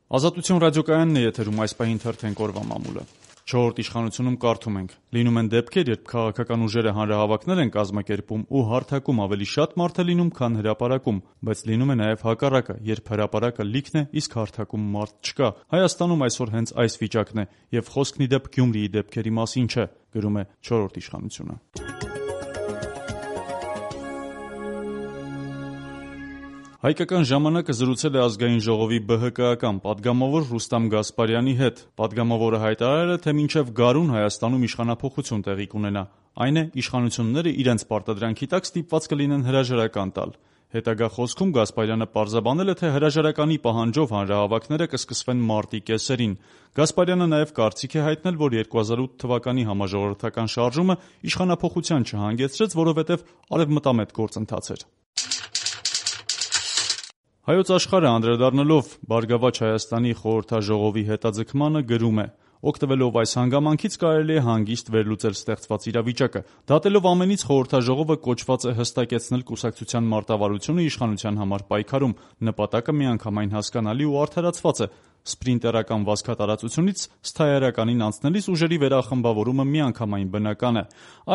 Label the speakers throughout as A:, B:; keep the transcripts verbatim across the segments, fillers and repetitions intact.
A: Ազատություն ռադիոկայանն է եթերում, այս պահին թերթենք օրվա մամուլը։ Չորրորդ իշխանությունում կարդում ենք. լինում են դեպքեր, երբ քաղաքական ուժերը հանրահավաքներ են կազմակերպում ու հարթակում ավելի շատ մարդ է լինում, քան հրապարակում, բայց լինում է նաև հակառակը, երբ հրապարակը լիքն է, իսկ հարթակում մարդ չկա։ Հայաստանում այսօր հենց այս վիճակն է, եւ խոսքն ի դեպ Գյումրիի դեպքերի մասին չէ, գրում է չորրորդ իշխանությունը։ Հայկական ժամանակը զրուցել է ազգային ժողովի բը հը կայական պատգամավոր Ռուստամ Գասպարյանի հետ։ Պատգամավորը հայտարարել է, թե մինչև գարուն Հայաստանում իշխանափոխություն տեղի կունենա, այն է, իշխանությունները իրենց պարտադրանքի տակ ստիպված կլինեն հրաժարական տալ։ Հետագա խոսքում Գասպարյանը պարզաբանել է, թե հրաժարականի պահանջով հանրահավաքները կսկսվեն մարտի կեսերին։ Գասպարյանը նաև կարծիք է հայտնել, որ երկու հազար ութ թվականի համաժողովրդական շարժումը իշխանափոխության չհանգեցրեց, որովհետև արևմտամետ գործընթաց էր։ Հայոց Աշխարհը անդրադառնալով Բարգավաճ Հայաստանի խորհրդաժողովի հետաձգմանը գրում է. օգտվելով այս հանգամանքից կարելի է հանգիստ վերլուծել ստեղծված իրավիճակը։ Դատելով ամենից խորհրդաժողովը կոչված է հստակեցնել կուսակցության մարտավարությունը իշխանության համար պայքարում։ Նպատակը միանգամայն հասկանալի ու արդարացված է։ Սպրինտերական վազքատարածությունից սթայարականին անցնելիս ուժերի վերախմբավորումը միանգամայն բնական է։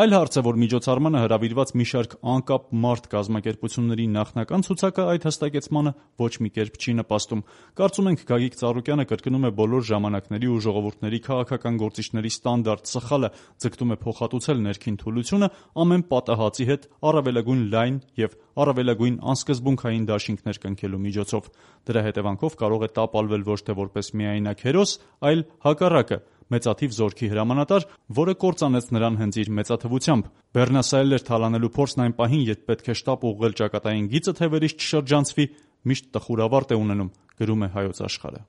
A: Այլ հարց է, որ միջոցառմանը հրավիրված մի շարք անկապ մարդ կազմակերպությունների նախնական ցուցակը այդ հստակեցմանը ոչ մի կերպ չի նպաստում։ Կարծում ենք Գագիկ Ծառուկյանը կրկնում է բոլոր ժամանակների ու ժողովուրդների քաղաքական գործիչների ստանդարտ սխալը, ձգտում է փոխհատուցել ներքին թուլությունը ամեն պատահածի հետ առավելագույն լայն եւ առավելագույն անսկզբունքային դաշինքներ կնքելու միջոցով։ Դրա հետևանքով կարող է տապալվել ոչ թե որպես միայնակ հերոս, այլ հակառակը՝ մեծաթիվ զորքի հրամանատար, որը կործանեց նրան հենց իր մեծաթվությամբ։ Բեռնասայլեր թալանելու փորձն այն պահին, երբ պետք է շտապ ուղղել ճակատային գիծը, թե վերից չշրջանցվի, միշտ տխուր ավարտ է ունենում, գրում է Հայոց Աշխարհը։